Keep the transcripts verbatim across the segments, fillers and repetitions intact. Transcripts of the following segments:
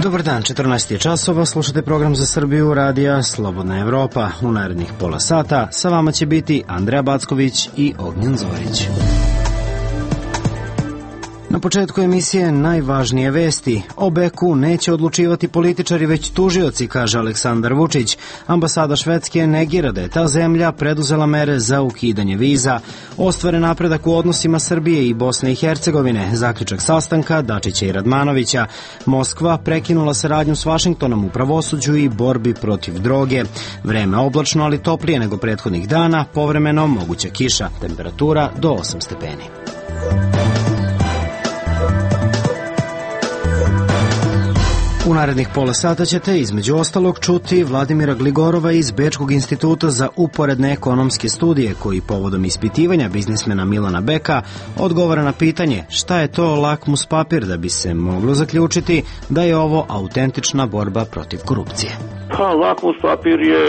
Dobar dan, četrnaest je časova, slušate program za Srbiju radija Slobodna Evropa. U narednih pola sata sa vama će biti Andreja Backović i Ognjen Zorić. Na početku emisije najvažnije vesti. O Beku neće odlučivati političari, već tužioci, kaže Aleksandar Vučić. Ambasada Švedske negira da je ta zemlja preduzela mere za ukidanje viza. Ostvaren napredak u odnosima Srbije i Bosne i Hercegovine. Zaključak sastanka Dačića i Radmanovića. Moskva prekinula saradnju s Vašingtonom u pravosuđu i borbi protiv droge. Vreme oblačno, ali toplije nego prethodnih dana. Povremeno moguća kiša. Temperatura do osam stepeni. U narednih pola sata ćete između ostalog čuti Vladimira Gligorova iz Bečkog instituta za uporedne ekonomske studije, koji povodom ispitivanja biznismena Milana Beka odgovara na pitanje šta je to lakmus papir da bi se moglo zaključiti da je ovo autentična borba protiv korupcije. Pa, lakmus papir je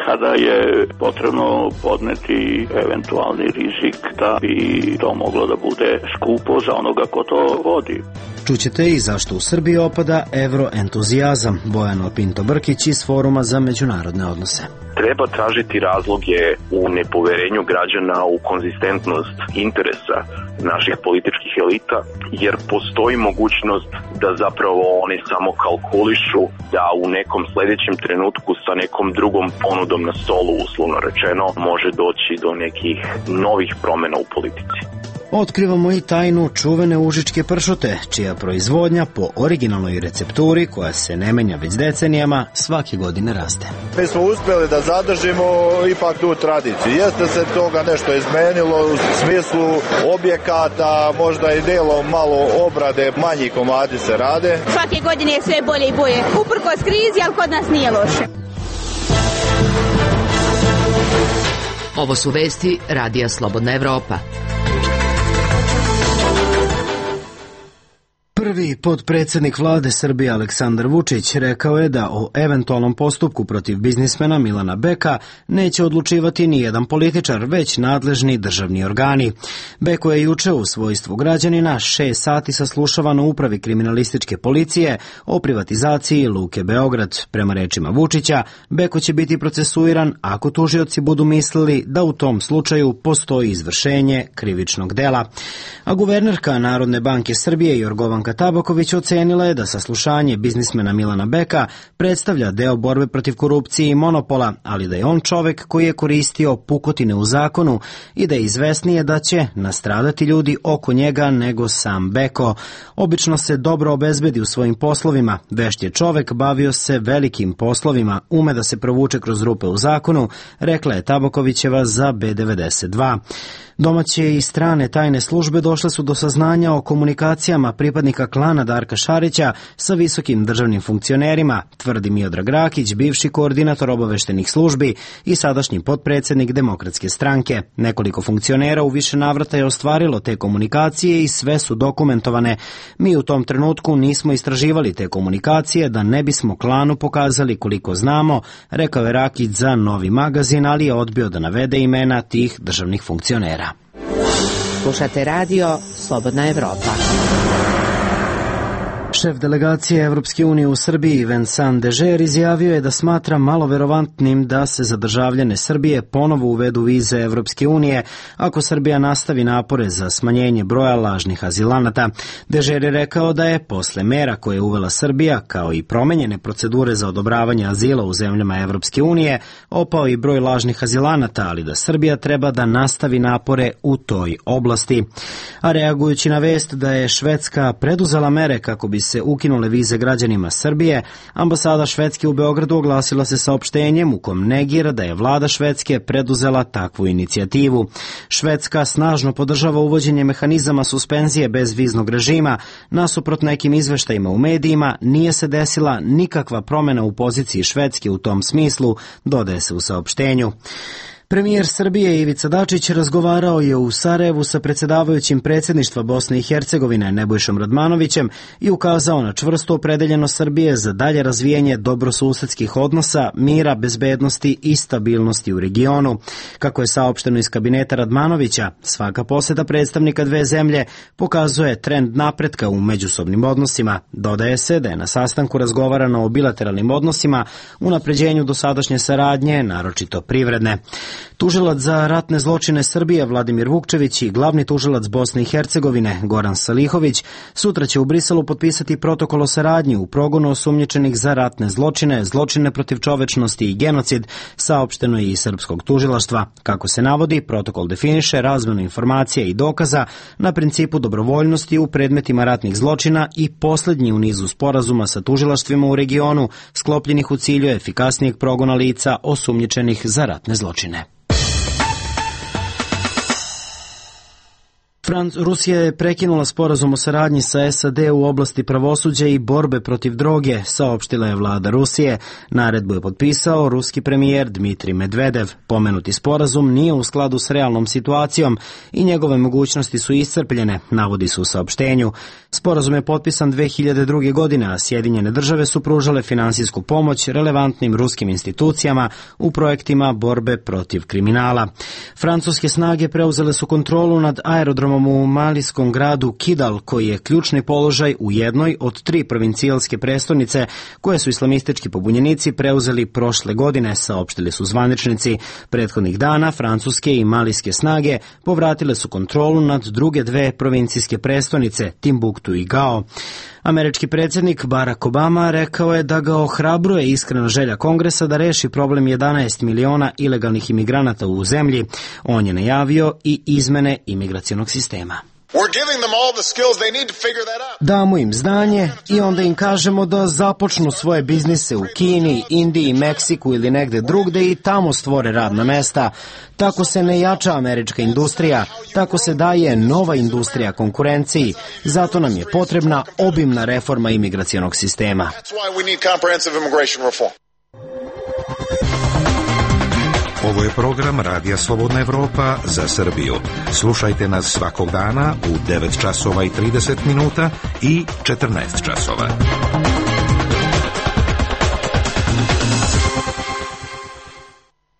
kada je potrebno podneti eventualni rizik da bi to moglo da bude skupo za onoga ko to vodi. Čućete i zašto u Srbiji opada evroentuzijazam. Bojano Pinto Brkić iz Foruma za međunarodne odnose. Treba tražiti razloge u nepoverenju građana, u konzistentnost interesa naših političkih elita, jer postoji mogućnost da zapravo oni samo kalkulišu da u nekom sledećem trenutku sa nekom drugom ponudom na stolu, uslovno rečeno, može doći do nekih novih promena u politici. Otkrivamo i tajnu čuvene užičke pršute, čija proizvodnja po originalnoj recepturi, koja se ne menja već decenijama, svake godine raste. Mi smo uspjeli da zadržimo ipak tu tradiciju. Jeste se toga nešto izmenilo u smislu objekata, možda i delom malo obrade, manji komadi se rade. Svake godine je sve bolje i bolje. Uprkos krizi, ali kod nas nije loše. Ovo su vesti radija Slobodna Evropa. Prvi potpredsednik vlade Srbije Aleksandar Vučić rekao je da o eventualnom postupku protiv biznismena Milana Beka neće odlučivati ni jedan političar, već nadležni državni organi. Beko je juče u svojstvu građanina šest sati saslušavan u upravi kriminalističke policije o privatizaciji Luke Beograd. Prema rečima Vučića, Beko će biti procesuiran ako tužioci budu mislili da u tom slučaju postoji izvršenje krivičnog dela. A guvernerka Narodne banke Srbije Jorgovanka Tabaković ocenila je da saslušanje biznismena Milana Beka predstavlja deo borbe protiv korupcije i monopola, ali da je on čovek koji je koristio pukotine u zakonu i da je izvesnije da će nastradati ljudi oko njega nego sam Beko. Obično se dobro obezbedi u svojim poslovima, vešt je čovek, bavio se velikim poslovima, ume da se provuče kroz rupe u zakonu, rekla je Tabakovićeva za B devedeset dva. Domaće i strane tajne službe došle su do saznanja o komunikacijama pripadnika klana Darka Šarića sa visokim državnim funkcionerima, tvrdi Miodrag Rakić, bivši koordinator obaveštenih službi i sadašnji potpredsednik Demokratske stranke. Nekoliko funkcionera u više navrata je ostvarilo te komunikacije i sve su dokumentovane. Mi u tom trenutku nismo istraživali te komunikacije da ne bismo klanu pokazali koliko znamo, rekao je Rakić za Novi magazin, ali je odbio da navede imena tih državnih funkcionera. Slušate radio Slobodna Evropa. Šef delegacije Evropske unije u Srbiji Vincent Dežer izjavio je da smatra malo verovatnim da se za državljane Srbije ponovo uvedu vize Evropske unije ako Srbija nastavi napore za smanjenje broja lažnih azilanata. Dežer je rekao da je posle mera koje je uvela Srbija, kao i promenjene procedure za odobravanje azila u zemljama Evropske unije, opao i broj lažnih azilanata, ali da Srbija treba da nastavi napore u toj oblasti. A reagujući na vest da je Švedska preduzela mere kako bi se ukinule vize građanima Srbije, ambasada Švedske u Beogradu oglasila se saopštenjem u kom negira da je vlada Švedske preduzela takvu inicijativu. Švedska snažno podržava uvođenje mehanizama suspenzije bez viznog režima. Nasuprot nekim izveštajima u medijima, nije se desila nikakva promena u poziciji Švedske u tom smislu, dodaje se u saopštenju. Premijer Srbije Ivica Dačić razgovarao je u Sarajevu sa predsjedavajućim predsjedništva Bosne i Hercegovine Nebojšom Radmanovićem i ukazao na čvrstu opredeljenost Srbije za dalje razvijanje dobrosusedskih odnosa, mira, bezbednosti i stabilnosti u regionu. Kako je saopšteno iz kabineta Radmanovića, svaka poseta predstavnika dve zemlje pokazuje trend napretka u međusobnim odnosima. Dodaje se da je na sastanku razgovarano o bilateralnim odnosima, unapređenju dosadašnje saradnje, naročito privredne. Tužilac za ratne zločine Srbije Vladimir Vukčević i glavni tužilac Bosne i Hercegovine Goran Salihović sutra će u Briselu potpisati protokol o saradnji u progonu osumnjičenih za ratne zločine, zločine protiv čovečnosti i genocid, saopšteno je i srpskog tužilaštva. Kako se navodi, protokol definiše razmenu informacija i dokaza na principu dobrovoljnosti u predmetima ratnih zločina i posljednji u nizu sporazuma sa tužilaštvima u regionu sklopljenih u cilju efikasnijeg progona lica osumnjičenih za ratne zločine. Rusija je prekinula sporazum o saradnji sa S A D u oblasti pravosuđa i borbe protiv droge, saopštila je vlada Rusije. Naredbu je potpisao ruski premijer Dmitrij Medvedev. Pomenuti sporazum nije u skladu s realnom situacijom i njegove mogućnosti su iscrpljene, navodi se u saopštenju. Sporazum je potpisan dve hiljade druge. godine, a Sjedinjene države su pružale finansijsku pomoć relevantnim ruskim institucijama u projektima borbe protiv kriminala. Francuske snage preuzele su kontrolu nad aerodromom u malijskom gradu Kidal, koji je ključni položaj u jednoj od tri provincijalske prestonice koje su islamistički pobunjenici preuzeli prošle godine, saopštili su zvaničnici. Prethodnih dana francuske i malijske snage povratile su kontrolu nad druge dve provincijske prestonice, Timbuktu i Gao. Američki predsjednik Barack Obama rekao je da ga ohrabruje iskrena želja Kongresa da reši problem jedanaest miliona ilegalnih imigranata u zemlji. On je najavio i izmene imigracionog sistema. Damo im znanje i onda im kažemo da započnu svoje biznise u Kini, Indiji, Meksiku ili negde drugde i tamo stvore radna mesta. Tako se ne jača američka industrija, tako se daje nova industrija konkurenciji. Zato nam je potrebna obimna reforma imigracionog sistema. Ovo je program Radija Slobodna Evropa za Srbiju. Slušajte nas svakog dana u devet časova i trideset minuta i četrnaest časova.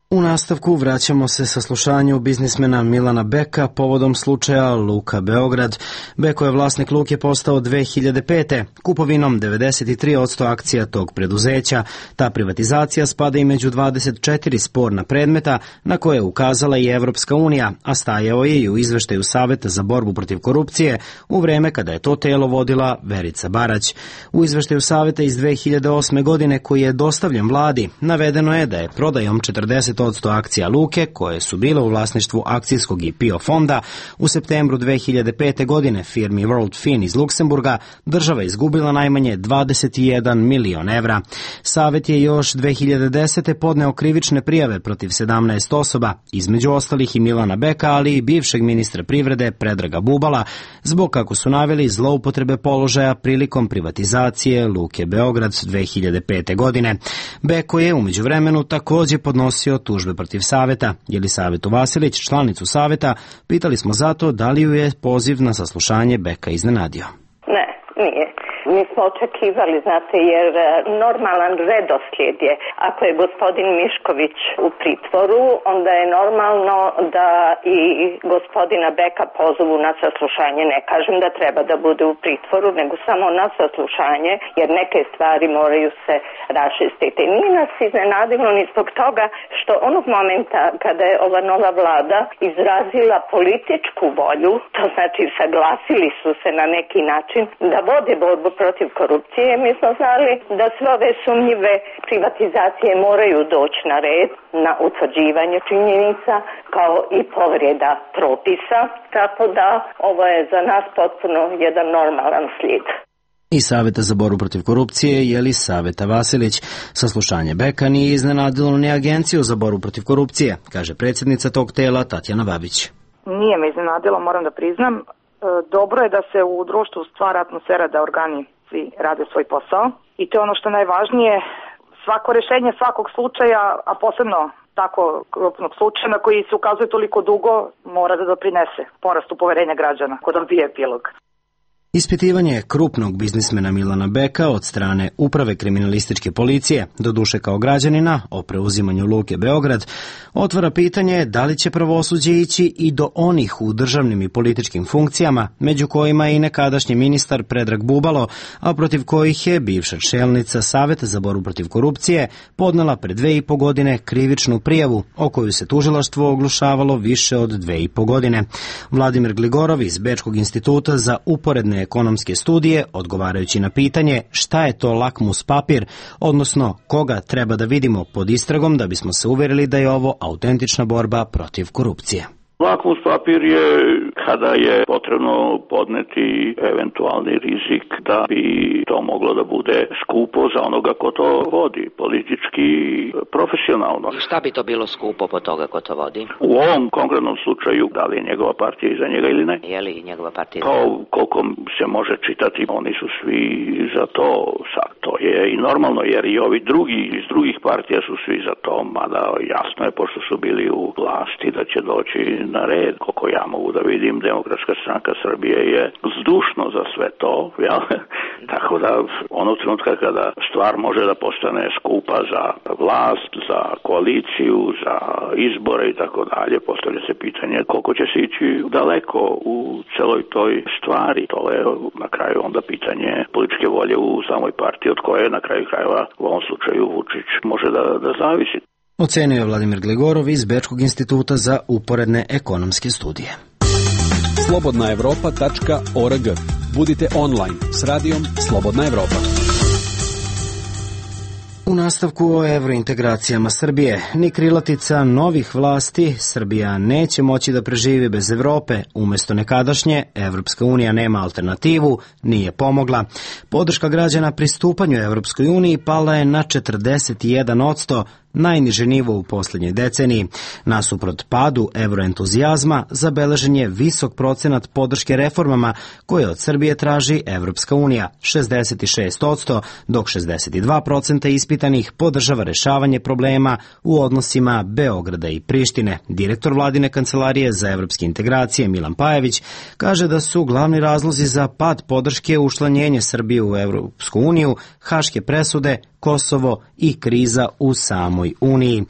U nastavku vraćamo se saslušanju biznismena Milana Beka povodom slučaja Luka Beograd. Beko je vlasnik Luke postao dve hiljade pete. Kupovinom devedeset tri posto akcija tog preduzeća. Ta privatizacija spada i među dvadeset četiri sporna predmeta na koje je ukazala i Evropska unija, a stajao je i u izveštaju Saveta za borbu protiv korupcije u vreme kada je to telo vodila Verica Barać. U izveštaju Saveta iz dve hiljade osme. godine koji je dostavljen vladi, navedeno je da je prodajom četrdeset posto akcija Luke, koje su bile u vlasništvu akcijskog i P I O fonda, u septembru dve hiljade pete. godine firmi World Fin iz Luksemburga država izgubila najmanje dvadeset jedan milion evra. Savet je još dve hiljade desete. podneo krivične prijave protiv sedamnaest osoba, između ostalih i Milana Beka, ali i bivšeg ministra privrede Predraga Bubala, zbog, kako su naveli, zloupotrebe položaja prilikom privatizacije Luke Beograd dve hiljade pete. godine. Beko je u međuvremenu također podnosio tužbe protiv Saveta. Jelisaveta Vasilić, članicu Saveta, pitali smo zato da li ju je poziv na saslušanje Beka iznenadio. Ne, nije. Mi smo očekivali, znate, jer normalan redoslijed je, ako je gospodin Mišković u pritvoru, onda je normalno da i gospodina Beka pozovu na saslušanje. Ne kažem da treba da bude u pritvoru, nego samo na saslušanje, jer neke stvari moraju se raščistiti. Nije nas iznenadilo ni zbog toga što onog momenta kada je ova nova vlada izrazila političku volju, to znači saglasili su se na neki način da vode borbu protiv korupcije, mi smo znali da sve ove sumnjive privatizacije moraju doći na red, na utvrđivanje činjenica, kao i povreda propisa, tako da ovo je za nas potpuno jedan normalan slijed. I Saveta za borbu protiv korupcije Jelisaveta Vasilić. Saslušanje Beka nije iznenadilo ni Agenciju za borbu protiv korupcije, kaže predsjednica tog tela Tatjana Babić. Nije me iznenadilo, moram da priznam. Dobro je da se u društvu stvara atmosfera da organi svi rade svoj posao i to je ono što je najvažnije. Svako rešenje svakog slučaja, a posebno tako krupnog slučaja koji se ukazuje toliko dugo mora da doprinese porastu poverenja građana kod odbije epilog. Ispitivanje krupnog biznismena Milana Beka od strane Uprave kriminalističke policije, doduše kao građanina, o preuzimanju Luke Beograd, otvara pitanje da li će pravosuđe ići i do onih u državnim i političkim funkcijama, među kojima je i nekadašnji ministar Predrag Bubalo, a protiv kojih je bivša čelnica Saveta za borbu protiv korupcije podnela pre dve i po godine krivičnu prijavu, o koju se tužilaštvo oglušavalo više od dve i po godine. Vladimir Gligorov iz Bečkog instituta za uporedne ekonomske studije, odgovarajući na pitanje šta je to lakmus papir, odnosno koga treba da vidimo pod istragom da bismo se uverili da je ovo autentična borba protiv korupcije. Lakmus papir je kada je potrebno podneti eventualni rizik da bi to moglo da bude skupo za onoga ko to vodi, politički, profesionalno. I šta bi to bilo skupo po toga ko to vodi? U ovom konkretnom slučaju, da li je njegova partija iza njega ili ne? Je li njegova partija iza njega? Kao koliko se može čitati, oni su svi za to. Sad, to je i normalno, jer i ovi drugi iz drugih partija su svi za to, mada jasno je, pošto su bili u vlasti, da će doći na red. Koliko ja mogu da vidim, Demokratska stranka Srbije je zdušno za sve to, jel? Tako da onog trenutka kada stvar može da postane skupa za vlast, za koaliciju, za izbore i tako dalje, postavlja se pitanje koliko će se ići daleko u celoj toj stvari. To je na kraju onda pitanje političke volje u samoj partiji, od koje na kraju krajeva u ovom slučaju Vučić može da, da zavisi. Ocenio je Vladimir Gligorov iz Bečkog instituta za uporedne ekonomske studije. slobodna evropa tačka org. Budite online s radijom Slobodna Evropa. U nastavku o evrointegracijama Srbije, ni krilatica novih vlasti, Srbija neće moći da preživi bez Evrope, umesto nekadašnje, Evropska unija nema alternativu, nije pomogla. Podrška građana pristupanju Evropskoj uniji pala je na četrdeset jedan odsto, najniže nivo u posljednjoj deceniji. Nasuprot padu evroentuzijazma, zabeležen je visok procenat podrške reformama koje od Srbije traži Evropska unija, šezdeset šest odsto, dok šezdeset dva procenta ispitanih podržava rešavanje problema u odnosima Beograda i Prištine. Direktor vladine kancelarije za evropske integracije Milan Pajević kaže da su glavni razlozi za pad podrške učlanjenje Srbije u Evropsku uniju, haške presude, Kosovo i kriza u samoj Uniji.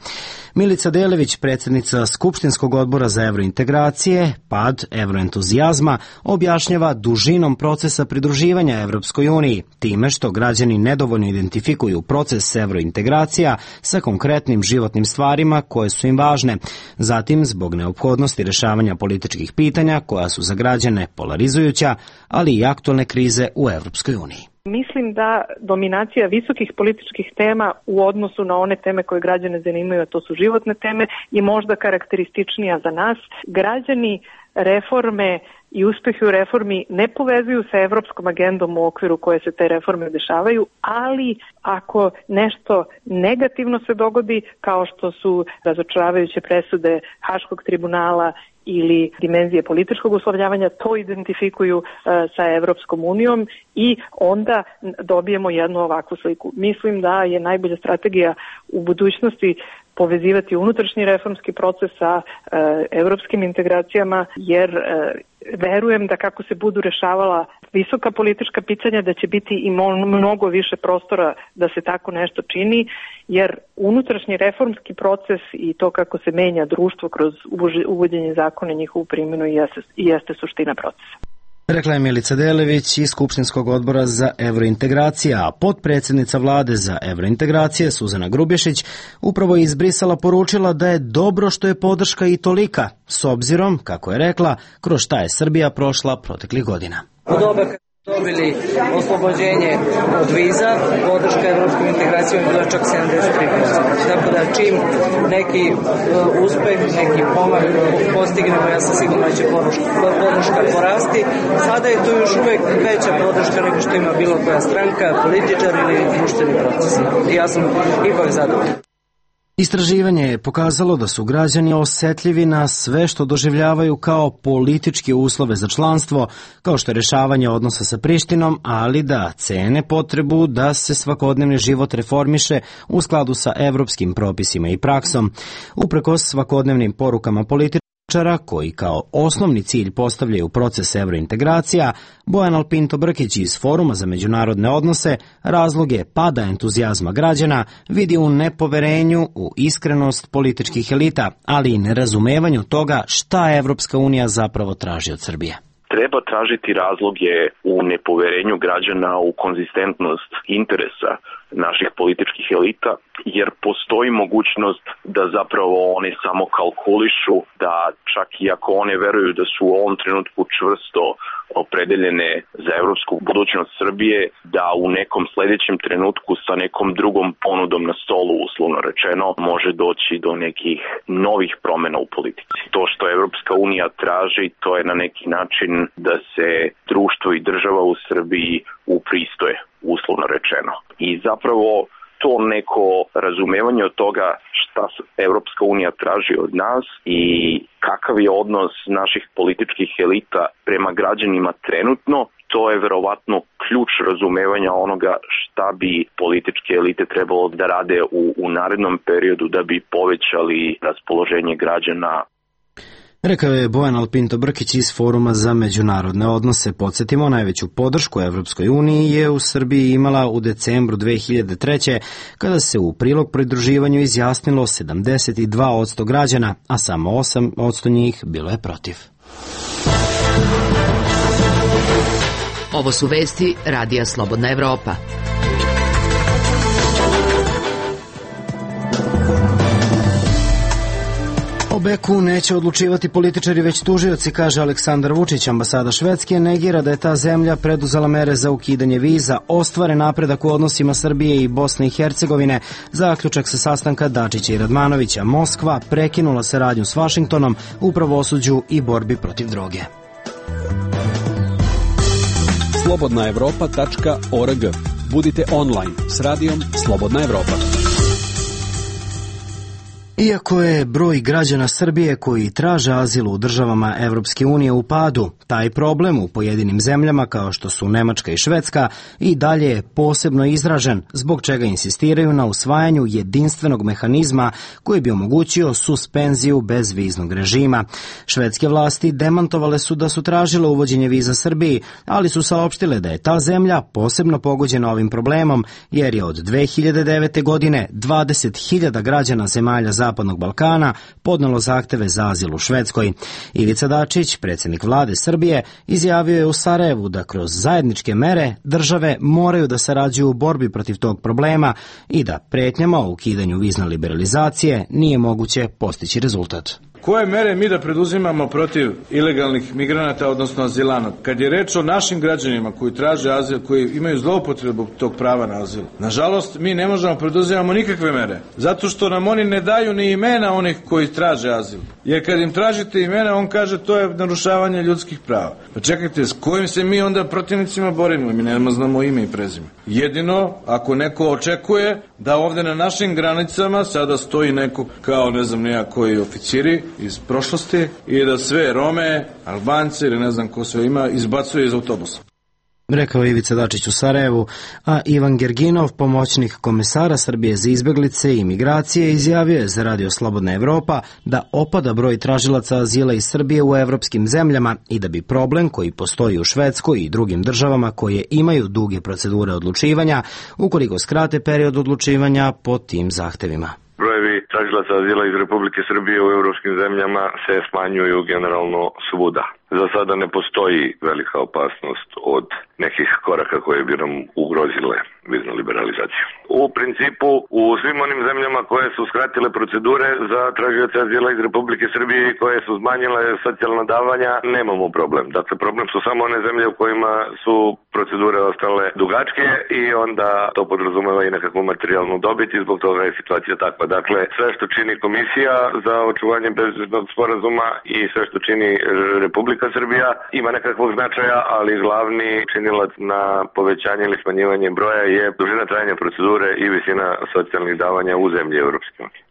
Milica Delević, predsjednica Skupštinskog odbora za evrointegracije, pad evroentuzijazma objašnjava dužinom procesa pridruživanja Evropskoj uniji, time što građani nedovoljno identifikuju proces evrointegracija sa konkretnim životnim stvarima koje su im važne. Zatim, zbog neophodnosti rešavanja političkih pitanja koja su za građane polarizujuća, ali i aktualne krize u Evropskoj uniji. Mislim da dominacija visokih političkih tema u odnosu na one teme koje građane zanimaju, a to su životne teme, je možda karakterističnija za nas. Građani reforme i uspehi u reformi ne povezuju sa evropskom agendom u okviru koje se te reforme dešavaju, ali ako nešto negativno se dogodi, kao što su razočaravajuće presude Haškog tribunala ili dimenzije političkog uslovljavanja, to identifikuju uh, sa Evropskom unijom i onda dobijemo jednu ovakvu sliku. Mislim da je najbolja strategija u budućnosti povezivati unutrašnji reformski proces sa uh, evropskim integracijama, jer uh, verujem da kako se budu rešavala visoka politička pitanja, da će biti i mnogo više prostora da se tako nešto čini, jer unutrašnji reformski proces i to kako se menja društvo kroz uvođenje zakona i njihovu primjenu jeste, jeste suština procesa. Rekla je Milica Delević iz Skupštinskog odbora za evrointegracije, a potpredsjednica vlade za evrointegracije Suzana Grubješić upravo je iz Brisela poručila da je dobro što je podrška i tolika, s obzirom, kako je rekla, kroz šta je Srbija prošla proteklih godina. Dobili oslobođenje od viza, podrška evropskom integracijom je bila čak sedamdeset tri posto. Tako da čim neki uh, uspeh, neki pomak postignemo, ja sam sigurno da će podrška porasti. Sada je tu još uvek veća podrška nego što ima bilo koja stranka, političar ili društveni proces. I ja sam ipak zadovoljan. Istraživanje je pokazalo da su građani osetljivi na sve što doživljavaju kao političke uslove za članstvo, kao što je rešavanje odnosa sa Prištinom, ali da cene potrebu da se svakodnevni život reformiše u skladu sa evropskim propisima i praksom. Uprkos svakodnevnim porukama političara koji kao osnovni cilj postavljaju proces evrointegracija, Bojan Alpinto Brkić iz Foruma za međunarodne odnose razloge pada entuzijazma građana vidi u nepoverenju u iskrenost političkih elita, ali i nerazumevanju toga šta Evropska unija zapravo traži od Srbije. Treba tražiti razloge u nepoverenju građana u konzistentnost interesa naših političkih elita, jer postoji mogućnost da zapravo oni samo kalkulišu, da čak i ako one veruju da su u ovom trenutku čvrsto opredeljene za evropsku budućnost Srbije, da u nekom sledećem trenutku sa nekom drugom ponudom na stolu, uslovno rečeno, može doći do nekih novih promena u politici. To što Evropska unija traži, to je na neki način da se društvo i država u Srbiji upristoje, uslovno rečeno. I zapravo to neko razumevanje od toga šta Evropska unija traži od nas i kakav je odnos naših političkih elita prema građanima trenutno, to je verovatno ključ razumevanja onoga šta bi političke elite trebalo da rade u, u narednom periodu da bi povećali raspoloženje građana. Rekao je Bojan Alpinto Brkić iz Foruma za međunarodne odnose. Podsjetimo, najveću podršku Evropskoj uniji je u Srbiji imala u decembru dve hiljade treće. kada se u prilog pridruživanju izjasnilo sedamdeset dva posto građana, a samo osam posto njih bilo je protiv. Ovo su vesti Radija Slobodna Evropa. O Beku neće odlučivati političari već tužioci, kaže Aleksandar Vučić. Ambasada Švedske negira da je ta zemlja preduzela mere za ukidanje viza. Ostvaren napredak u odnosima Srbije i Bosne i Hercegovine. Zaključak sa sastanka Dačića i Radmanovića. Moskva prekinula saradnju s Vašingtonom u pravosuđu i borbi protiv droge. slobodna evropa tačka org. Budite online s radijom Slobodna Evropa. Iako je broj građana Srbije koji traže azil u državama Evropske unije u padu, taj problem u pojedinim zemljama kao što su Nemačka i Švedska i dalje je posebno izražen, zbog čega insistiraju na usvajanju jedinstvenog mehanizma koji bi omogućio suspenziju bezviznog režima. Švedske vlasti demantovale su da su tražile uvođenje viza Srbiji, ali su saopštile da je ta zemlja posebno pogođena ovim problemom, jer je od dve hiljade devete. godine dvadeset hiljada građana zemalja Zapadnog Balkana podnelo zahteve za azil u Švedskoj. Ivica Dačić, predsjednik vlade Srbije, izjavio je u Sarajevu da kroz zajedničke mere države moraju da sarađuju u borbi protiv tog problema i da pretnjama o ukidanju vizne liberalizacije nije moguće postići rezultat. Koje mere mi da preduzimamo protiv ilegalnih migranata, odnosno azilanata? Kad je reč o našim građanima koji traže azil, koji imaju zloupotrebu tog prava na azil, nažalost, mi ne možemo preduzimamo nikakve mere, zato što nam oni ne daju ni imena onih koji traže azil. Jer kad im tražite imena, on kaže to je narušavanje ljudskih prava. Pa čekajte, s kojim se mi onda protivnicima borimo? Mi ne znamo ime i prezime. Jedino, ako neko očekuje da ovde na našim granicama sada stoji neko kao, ne znam, nija koji oficiri iz prošlosti i da sve Rome, Albance ili ne znam ko sve ima, izbacuje iz autobusa. Rekao je Ivica Dačić u Sarajevu, a Ivan Gerginov, pomoćnik komesara Srbije za izbeglice i migracije, izjavio je za Radio Slobodna Evropa da opada broj tražilaca azila iz Srbije u evropskim zemljama i da bi problem koji postoji u Švedskoj i drugim državama koje imaju duge procedure odlučivanja, ukoliko skrate period odlučivanja po tim zahtevima. Brojevi tražilaca azila iz Republike Srbije u evropskim zemljama se smanjuju generalno svuda. Za sada ne postoji velika opasnost od nekih koraka koje bi nam ugrozile viznu liberalizaciju. U principu, u svim onim zemljama koje su skratile procedure za tražioce azila iz Republike Srbije i koje su smanjile socijalna davanja, nemamo problem. Dakle, problem su samo one zemlje u kojima su procedure ostale dugačke i onda to podrazumeva i nekakvu materijalnu dobit i zbog toga je situacija takva. Dakle, sve što čini Komisija za očuvanje bezbednog sporazuma i sve što čini Republika Srbija ima nekakvog značaja, ali glavni činilac na povećanje ili smanjivanje broja je dužina trajanja procedure i visina socijalnih davanja u zemlji Evropske unije.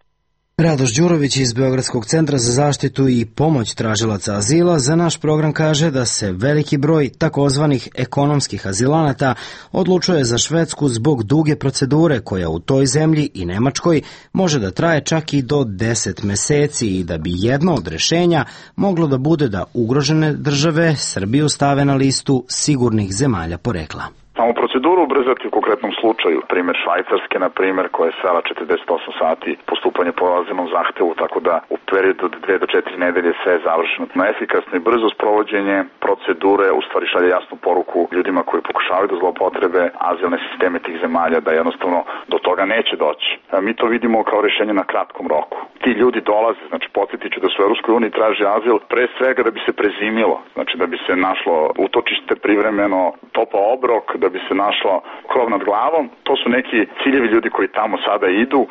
Radoš Đurović iz Beogradskog centra za zaštitu i pomoć tražilaca azila za naš program kaže da se veliki broj takozvanih ekonomskih azilanata odlučuje za Švedsku zbog duge procedure koja u toj zemlji i Nemačkoj može da traje čak i do deset meseci i da bi jedno od rešenja moglo da bude da ugrožene države Srbiju stave na listu sigurnih zemalja porekla. Samo proceduru ubrzati u konkretnom slučaju, primjer Švajcarske, na primjer, koja je svela četrdeset osam sati postupanje po azilnom zahtevu, tako da u periodu od dve do četiri nedelje sve je završeno. Na efikasno i brzo sprovođenje procedure u stvari šalje jasnu poruku ljudima koji pokušavaju da zloupotrebe azilne sisteme tih zemalja, da jednostavno do toga neće doći. Mi to vidimo kao rešenje na kratkom roku. Ti ljudi dolaze, znači podsjetit ću da su u Evropskoj uniji traže azil pre svega da bi se prezimilo, znači da bi se našlo utočište privremeno, topao obrok, da bi se našlo krov nad glavom. To su neki ciljevi ljudi koji tamo sada idu.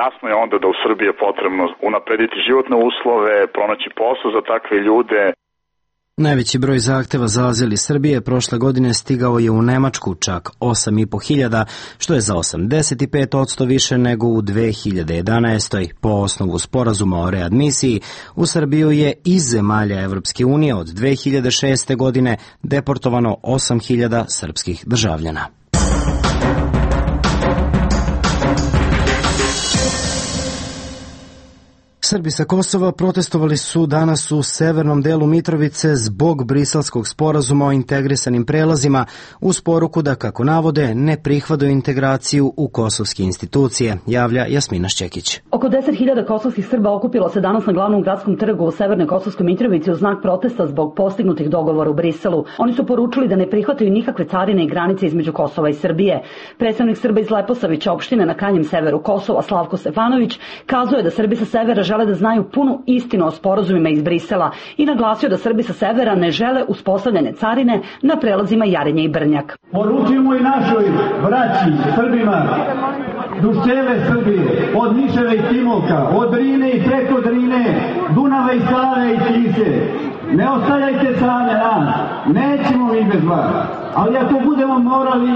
Jasno je onda da u Srbiji je potrebno unaprediti životne uslove, pronaći posao za takve ljude. Najveći broj zahteva za azil iz Srbije prošle godine stigao je u Nemačku, čak osam i po hiljada, što je za osamdeset pet posto više nego u dve hiljade jedanaestoj. Po osnovu sporazuma o readmisiji, u Srbiju je iz zemalja Evropske unije od dve hiljade šeste. godine deportovano osam hiljada srpskih državljana. Srbi sa Kosova protestovali su danas u severnom delu Mitrovice zbog briselskog sporazuma o integrisanim prelazima uz poruku da, kako navode, ne prihvataju integraciju u kosovske institucije, javlja Jasmina Šćekić. Oko deset hiljada kosovskih Srba okupilo se danas na glavnom gradskom trgu u severnoj Kosovskoj Mitrovici u znak protesta zbog postignutih dogovora u Briselu. Oni su poručili da ne prihvataju nikakve carine i granice između Kosova i Srbije. Predstavnik Srba iz Leposavića, opštine na krajnjem severu Kosova, Slavko Stefanović, kazuje da Srbi sa severa žele da znaju punu istinu o sporazumima iz Brisela i naglasio da Srbi sa severa ne žele uspostavljene carine na prelazima Jarinje i Brnjak. Poručujemo i našoj braći, Srbima, duž cele Srbije, od Niševa i Timoka, od Drine i preko Drine, Dunava i Save i Tise. Ne ostavljajte same nas, nećemo mi bez vas, ali ako budemo morali,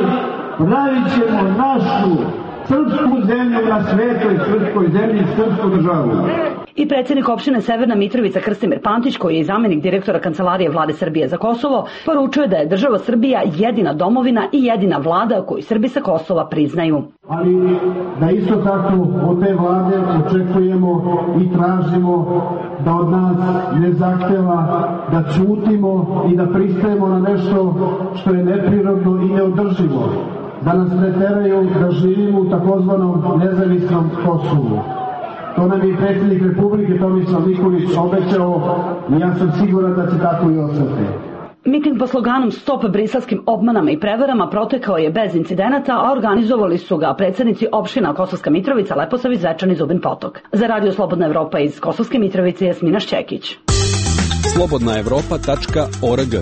pravit ćemo našu srpsku zemlju na svetoj srpskoj zemlji, srpsku državu. I predsjednik opštine Severna Mitrovica Krstimir Pantić, koji je i zamenik direktora Kancelarije Vlade Srbije za Kosovo, poručuje da je država Srbija jedina domovina i jedina vlada koju Srbi sa Kosova priznaju. Ali da isto tako od te vlade očekujemo i tražimo da od nas ne zahteva da ćutimo i da pristajemo na nešto što je neprirodno i neodrživo. Da nas ne teraju da živimo u takozvanom nezavisnom Kosovu. To nam je predsjednik Republike Tomislav Nikolić obećao i ja sam siguran da će tako i ostati. Miting pod sloganom Stop briselskim obmanama i prevarama protekao je bez incidenata, a organizovali su ga predsjednici opština Kosovska Mitrovica, Leposavić, Zvečan i Zubin Potok. Za Radio Slobodna Evropa iz Kosovske Mitrovice, Jasmina Šćekić. slobodna evropa tačka org.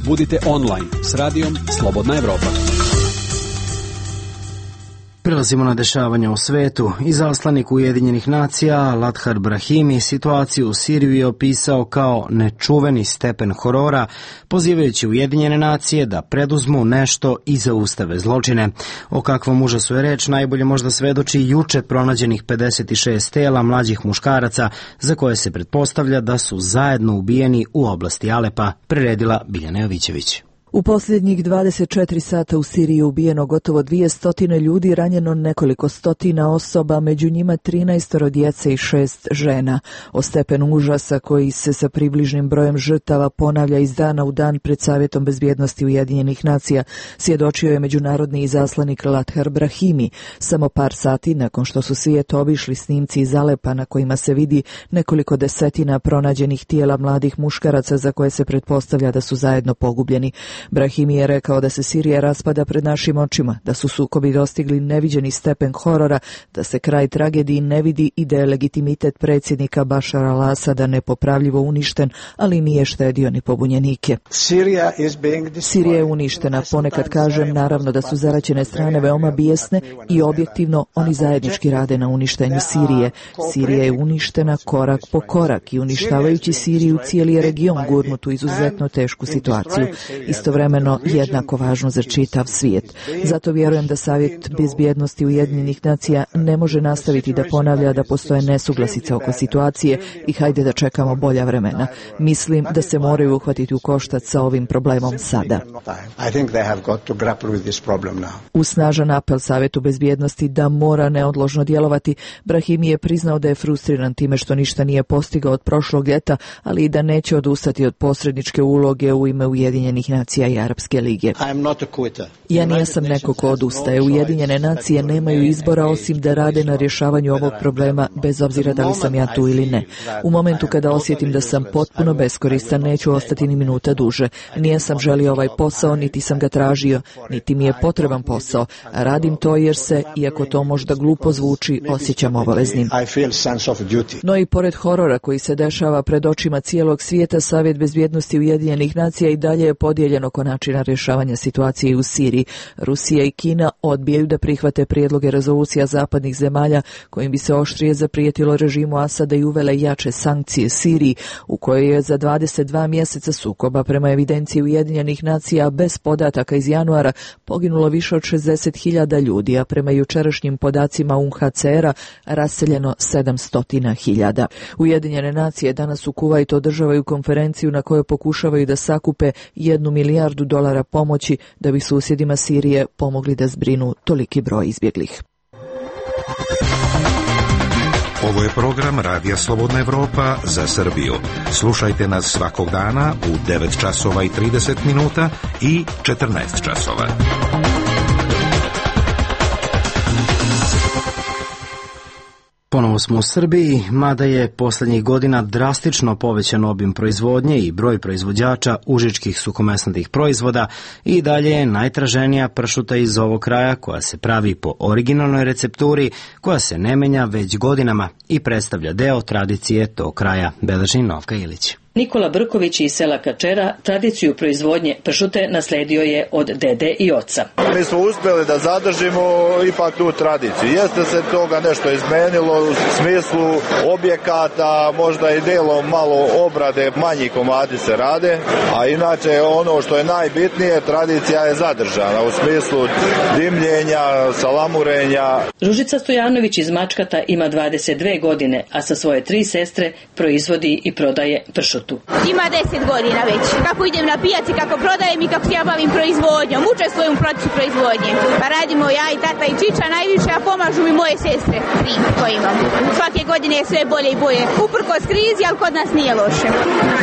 Budite online s radijom Slobodna Evropa. Prelazimo na dešavanja u svetu. Izaslanik Ujedinjenih nacija Lathar Brahimi situaciju u Siriji je opisao kao nečuveni stepen horora, pozivajući Ujedinjene nacije da preduzmu nešto i zaustave zločine. O kakvom užasu je reč najbolje možda svedoči juče pronađenih pedeset šest tela mlađih muškaraca za koje se pretpostavlja da su zajedno ubijeni u oblasti Alepa, priredila Biljana Jovićević. U posljednjih dvadeset četiri sata u Siriji je ubijeno gotovo dvjesto ljudi, ranjeno nekoliko stotina osoba, među njima trinaest djece i šest žena. O stepenu užasa koji se sa približnim brojem žrtava ponavlja iz dana u dan pred Savjetom bezbjednosti Ujedinjenih nacija svjedočio je međunarodni izaslanik Lathar Brahimi, samo par sati nakon što su svijet obišli snimci iz Alepa na kojima se vidi nekoliko desetina pronađenih tijela mladih muškaraca za koje se pretpostavlja da su zajedno pogubljeni. Brahimi je rekao da se Sirija raspada pred našim očima, da su sukobi dostigli neviđeni stepen horora, da se kraj tragediji ne vidi i da je legitimitet predsjednika Bašara al-Asada nepopravljivo uništen, ali nije štedio ni pobunjenike. Sirija je uništena, ponekad kažem naravno da su zaraćene strane veoma bijesne i objektivno oni zajednički rade na uništenju Sirije. Sirija je uništena korak po korak i uništavajući Siriju cijeli je region gurnut u izuzetno tešku situaciju. Istovremeno istovremeno jednako važno za čitav svijet. Zato vjerujem da Savjet bezbjednosti Ujedinjenih nacija ne može nastaviti da ponavlja da postoje nesuglasice oko situacije i hajde da čekamo bolja vremena. Mislim da se moraju uhvatiti u koštac sa ovim problemom sada. U snažan apel Savjetu bezbjednosti da mora neodložno djelovati, Brahimi je priznao da je frustriran time što ništa nije postigao od prošlog ljeta, ali i da neće odustati od posredničke uloge u ime Ujedinjenih nacija i Arapske lige. Ja nisam neko ko odustaje. Ujedinjene nacije nemaju izbora osim da rade na rješavanju ovog problema, bez obzira da li sam ja tu ili ne. U momentu kada osjetim da sam potpuno beskoristan, neću ostati ni minuta duže. Nijesam želio ovaj posao, niti sam ga tražio, niti mi je potreban posao. Radim to jer se, iako to možda glupo zvuči, osjećam obaveznim. No i pored horora koji se dešava pred očima cijelog svijeta, Savjet bezbjednosti Ujedinjenih nacija i dalje je podijeljen oko načina rješavanja situacije u Siriji. Rusija i Kina odbijaju da prihvate prijedloge rezolucija zapadnih zemalja kojim bi se oštrije zaprijetilo režimu Asada i uvele jače sankcije Siriji, u kojoj je za dvadeset dva mjeseca sukoba prema evidenciji Ujedinjenih nacija bez podataka iz januara poginulo više od šezdeset hiljada ljudi, a prema jučerašnjim podacima U N H C R-a raseljeno sedamsto hiljada. Ujedinjene nacije danas u Kuvajtu održavaju konferenciju na kojoj pokušavaju da sakupe jednu milijardu dolara pomoći da bi susjedima Sirije pomogli da zbrinu toliki broj izbjeglih. Ovo je program Radija Slobodna Evropa za Srbiju. Slušajte nas svakog dana u devet časova i trideset minuta i četrnaest časova. Ponovo smo u Srbiji, mada je posljednjih godina drastično povećan obim proizvodnje i broj proizvođača užičkih suhomesnatih proizvoda i dalje je najtraženija pršuta iz ovog kraja koja se pravi po originalnoj recepturi koja se ne menja već godinama i predstavlja deo tradicije tog kraja, beleži Novka Ilić. Nikola Brković iz sela Kačera tradiciju proizvodnje pršute nasledio je od dede i oca. Mi smo uspjeli da zadržimo ipak tu tradiciju. Jeste se toga nešto izmenilo u smislu objekata, možda i delom malo obrade, manji komadi se rade, a inače ono što je najbitnije, tradicija je zadržana u smislu dimljenja, salamurenja. Ružica Stojanović iz Mačkata ima dvadeset dve godine, a sa svoje tri sestre proizvodi i prodaje pršut. Ima deset godina već. Kako idem na pijaci, kako prodajem i kako se ja bavim proizvodnjom. Učestvujem u procesu proizvodnje. Pa radimo ja i tata i čiča najviše, a pomažu mi moje sestre, tri koje imam. Svake godine je sve bolje i bolje. Uprkos krizi, ali kod nas nije loše.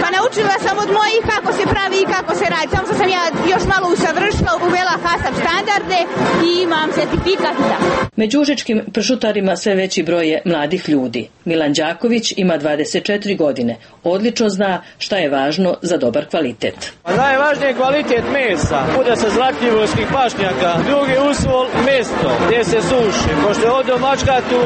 Pa naučila sam od mojih kako se pravi i kako se radi. Samo što sam ja još malo usavršila, uvela HASAP standarde i imam certifikat. Među užičkim pršutarima sve veći broj je mladih ljudi. Milan Đaković ima dvadeset četiri godine. Odlično zna šta je važno za dobar kvalitet. Najvažniji je kvalitet mesa. Bude sa zlatljivorskih pašnjaka. Drugi uslov mesto gdje se suši. Pošto je ovdje u Mačkatu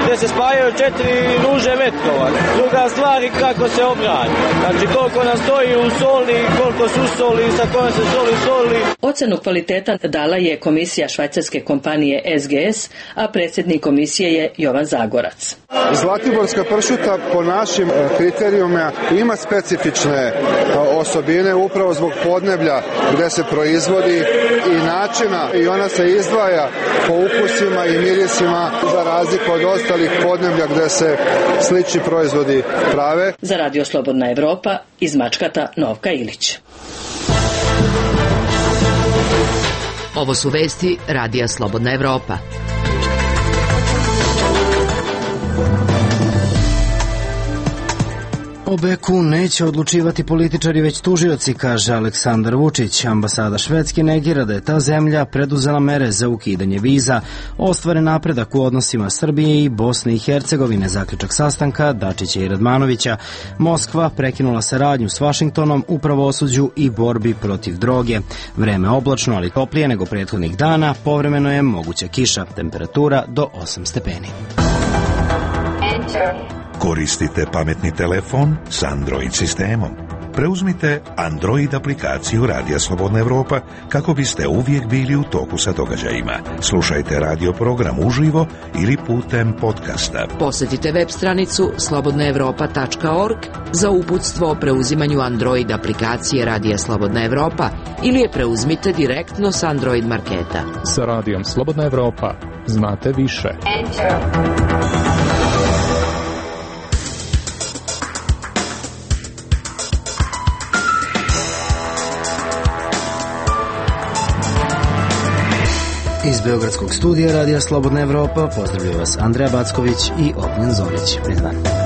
gdje se spajaju četiri ruže metkova. Druga stvar je kako se obradi. Znači koliko nam stoji u soli, koliko su soli, sa kojom se soli soli. Ocenu kvaliteta dala je komisija švajcarske kompanije S G S, a predsjednik komisije je Jovan Zagorac. Zlatiborska pršuta po našim kriterijumima ima specifične osobine upravo zbog podneblja gdje se proizvodi i načina i ona se izdvaja po ukusima i mirisima za razliku od ostalih podneblja gdje se slični proizvodi prave. Za Radio Slobodna Evropa iz Mačkata Novka Ilić. Ovo su vesti Radija Slobodna Evropa. O Beku neće odlučivati političari već tužioci, kaže Aleksandar Vučić. Ambasada Švedske negira da je ta zemlja preduzela mere za ukidanje viza. Ostvaren napredak u odnosima Srbije i Bosne i Hercegovine, zaključak sastanka Dačića i Radmanovića. Moskva prekinula saradnju s Vašingtonom u pravosuđu i borbi protiv droge. Vreme oblačno, ali toplije nego prethodnih dana, povremeno je moguća kiša, temperatura do osam stepeni. Koristite pametni telefon s Android sistemom. preuzmite Android aplikaciju Radija Slobodna Evropa kako biste uvijek bili u toku sa događajima. Slušajte radio program uživo ili putem podcasta. Posjetite web stranicu slobodna evropa tačka org za uputstvo o preuzimanju Android aplikacije Radija Slobodna Evropa ili je preuzmite direktno s Android marketa. Sa Radijom Slobodna Evropa znate više. Iz Beogradskog studija Radija Slobodna Evropa pozdravljaju vas Andreja Backović i Ognjen Zorić. Prizvan.